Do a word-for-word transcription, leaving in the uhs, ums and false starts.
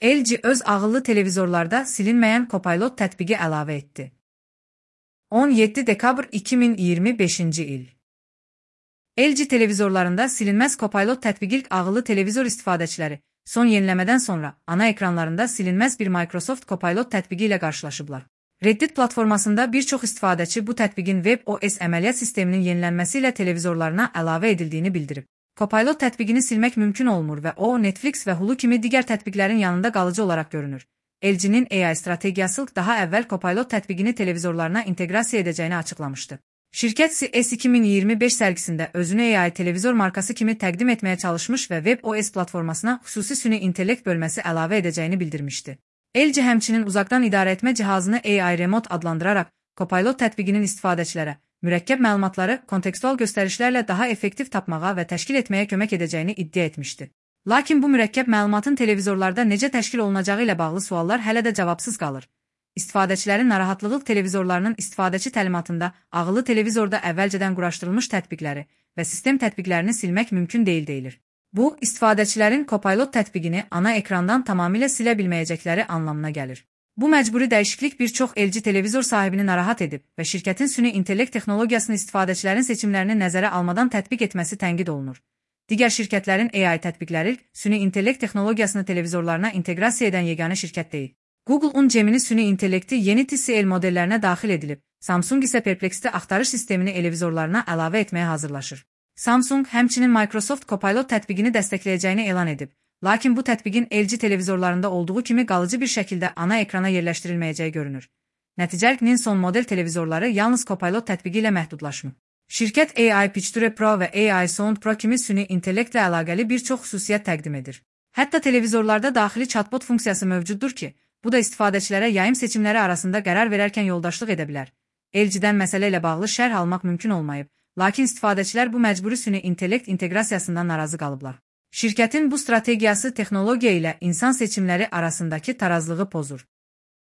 L G öz ağıllı televizorlarda silinməyən Copilot tətbiqi əlavə etdi. on yeddi dekabr iki min iyirmi beşinci il. L G televizorlarında silinməz Copilot tətbiqi ilk ağıllı televizor istifadəçiləri son yeniləmədən sonra ana ekranlarında silinməz bir Microsoft Copilot tətbiqi ilə qarşılaşıblar. Reddit platformasında bir çox istifadəçi bu tətbiqin WebOS əməliyyat sisteminin yenilənməsi ilə televizorlarına əlavə edildiyini bildirib. Copilot tətbiqini silmək mümkün olmur və o, Netflix və Hulu kimi digər tətbiqlərin yanında qalıcı olaraq görünür. L G-nin A I strategiyası daha əvvəl Copilot tətbiqini televizorlarına inteqrasiya edəcəyini açıqlamışdı. Şirkət C E S iki min iyirmi beş sərgisində özünü A I televizor markası kimi təqdim etməyə çalışmış və WebOS platformasına xüsusi süni intellekt bölməsi əlavə edəcəyini bildirmişdi. L G həmçinin uzaqdan idarəetmə cihazını A I Remote adlandıraraq Copilot tətbiqinin istifadəçilərə mürəkkəb məlumatları kontekstual göstərişlərlə daha effektiv tapmağa və təşkil etməyə kömək edəcəyini iddia etmişdi. Lakin bu mürəkkəb məlumatın televizorlarda necə təşkil olunacağı ilə bağlı suallar hələ də cavabsız qalır. İstifadəçilərin narahatlığı televizorlarının istifadəçi təlimatında ağıllı televizorda əvvəlcədən quraşdırılmış tətbiqləri və sistem tətbiqlərini silmək mümkün deyil deyilir. Bu, istifadəçilərin Copilot tətbiqini ana ekrandan tamamilə silə bilməyəcəkləri anlamına gəlir. Bu məcburi dəyişiklik bir çox L G televizor sahibini narahat edib və şirkətin süni intellekt texnologiyasını istifadəçilərin seçimlərini nəzərə almadan tətbiq etməsi tənqid olunur. Digər şirkətlərin A I tətbiqləri süni intellekt texnologiyasını televizorlarına inteqrasiya edən yeganə şirkət deyil. Google-un Gemini süni intellekti yeni T C L modellərinə daxil edilib, Samsung isə Perplexity axtarış sistemini televizorlarına əlavə etməyə hazırlaşır. Samsung həmçinin Microsoft Copilot tətbiqini dəstəkləyəcəyini elan edib, lakin bu tətbiqin L G televizorlarında olduğu kimi qalıcı bir şəkildə ana ekrana yerləşdirilməyəcəyi görünür. Nəticənin son model televizorları yalnız Copilot tətbiqi ilə məhdudlaşmır. Şirkət A I Picture Pro və A I Sound Pro kimi süni intellektlə əlaqəli bir çox xüsusiyyət təqdim edir. Hətta televizorlarda daxili chatbot funksiyası mövcuddur ki, bu da istifadəçilərə yayım seçimləri arasında qərar verərkən yoldaşlıq edə bilər. L G-dən məsələ ilə bağlı şərh almaq mümkün olmayıb, lakin istifadəçilər bu məcburi süni intellekt inteqrasiyasından narazı qalıblar. Şirkətin bu strategiyası texnologiya ilə insan seçimləri arasındakı tarazlığı pozur.